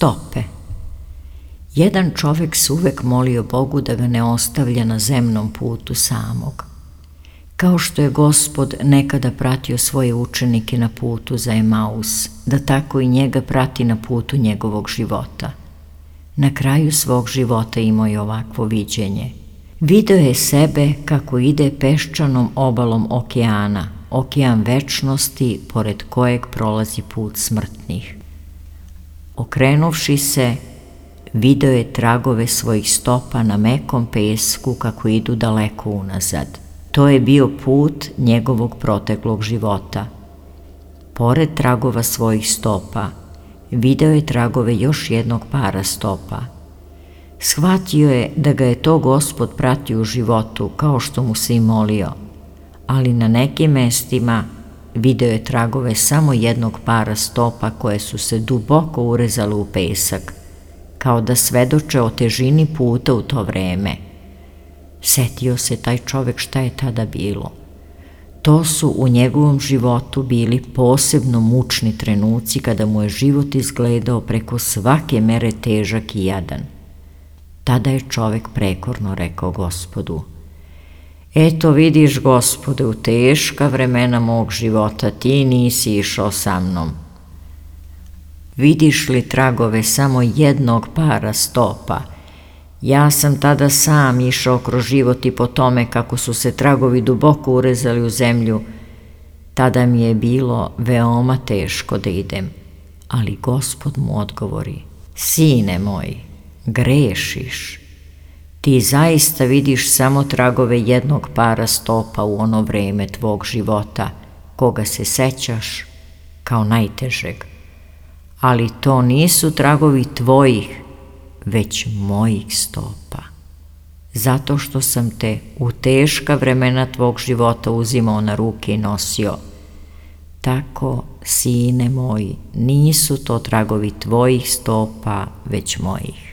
Stope. Jedan čovek se uvek molio Bogu da ga ne ostavlja na zemnom putu samog. Kao što je Gospod nekada pratio svoje učenike na putu za Emaus, da tako i njega prati na putu njegovog života. Na kraju svog života imao je ovakvo viđenje. Video je sebe kako ide peščanom obalom okeana, okean večnosti pored kojeg prolazi put smrtnih. Okrenuvši se, video je tragove svojih stopa na mekom pesku kako idu daleko unazad. To je bio put njegovog proteklog života. Pored tragova svojih stopa, video je tragove još jednog para stopa. Shvatio je da ga je to Gospod pratio u životu kao što mu se i molio, ali na nekim mestima video je tragove samo jednog para stopa koje su se duboko urezale u pesak, kao da svedoče o težini puta u to vreme. Setio se taj čovek šta je tada bilo. To su u njegovom životu bili posebno mučni trenuci kada mu je život izgledao preko svake mere težak i jadan. Tada je čovek prekorno rekao Gospodu: eto vidiš, Gospode, u teška vremena mog života ti nisi išao sa mnom. Vidiš li tragove samo jednog para stopa? Ja sam tada sam išao kroz život i po tome kako su se tragovi duboko urezali u zemlju, tada mi je bilo veoma teško da idem. Ali Gospod mu odgovori: sine moj, grešiš. Ti zaista vidiš samo tragove jednog para stopa u ono vreme tvog života, koga se sećaš kao najtežeg. Ali to nisu tragovi tvojih, već mojih stopa. Zato što sam te u teška vremena tvog života uzimao na ruke i nosio. Tako, sine moji, nisu to tragovi tvojih stopa, već mojih.